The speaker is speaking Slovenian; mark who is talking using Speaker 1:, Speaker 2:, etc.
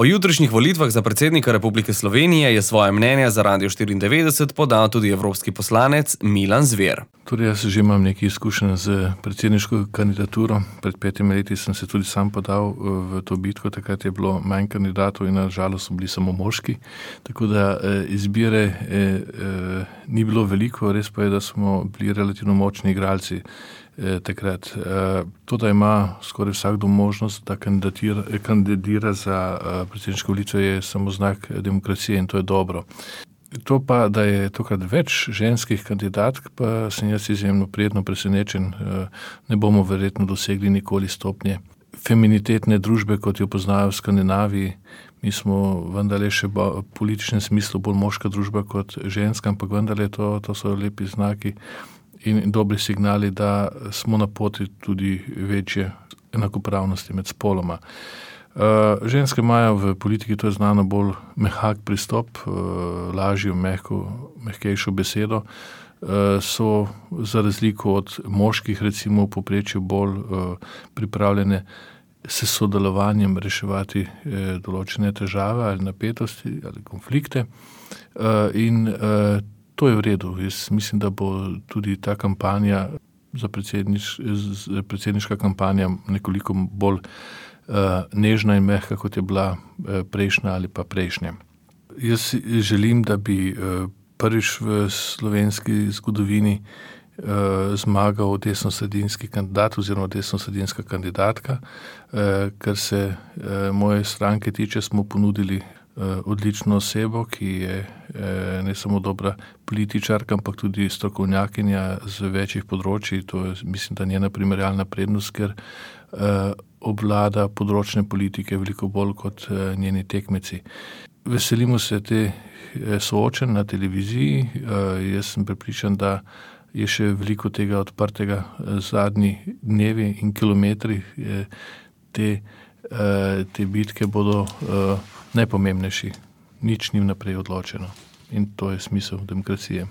Speaker 1: O jutrišnjih volitvah za predsednika Republike Slovenije je svoje mnenje za Radio 94 podal tudi evropski poslanec Milan Zver.
Speaker 2: Tudi jaz že imam nekaj izkušenj z predsedniško kandidaturo. Pred 5 leti sem se tudi sam podal v to bitko, takrat je bilo manj kandidatov in na žalost so bili samo moški. Tako da izbire ni bilo veliko, res pa je, da smo bili relativno močni igralci takrat. To, da ima skoraj vsakdo možnost, da kandidira za predsedniške volitve, je samo znak demokracije in to je dobro. To pa, da je tokrat več ženskih kandidatk, pa sem jaz izjemno prijetno presenečen. Ne bomo verjetno dosegli nikoli stopnje feminitetne družbe, kot jo poznajo v Skandinaviji. Mi smo vendarle še v političnem smislu bolj moška družba kot ženska, ampak vendarle to so lepi znaki in dobri signali, da smo na poti tudi večje enakopravnosti med spoloma. Ženske imajo v politiki, to je znano, bolj mehak pristop, lažjo, mehkejšo besedo, so za razliko od moških recimo v povprečju bolj pripravljene s sodelovanjem reševati določene težave ali napetosti ali konflikte in to je v redu. Jaz mislim, da bo tudi ta kampanja predsedniška kampanja nekoliko bolj nežna in mehka, kot je bila prejšnja ali pa prejšnja. Jaz želim, da bi prvič v slovenski zgodovini zmagal desnosredinski kandidat oziroma desnosredinska kandidatka. Kar se moje stranke tiče, smo ponudili odlično osebo, ki je ne samo dobra političarka, ampak tudi strokovnjakinja z večjih področij. To je, mislim, da njena primerjalna prednost, ker obvlada področne politike veliko bolj kot njeni tekmeci. Veselimo se te soočenj na televiziji. Jaz sem prepričan, da je še veliko tega odprtega. Zadnji dnevi in kilometri te bitke bodo najpomembnejši. Nič ni vnaprej odločeno. In to je smisel demokracije.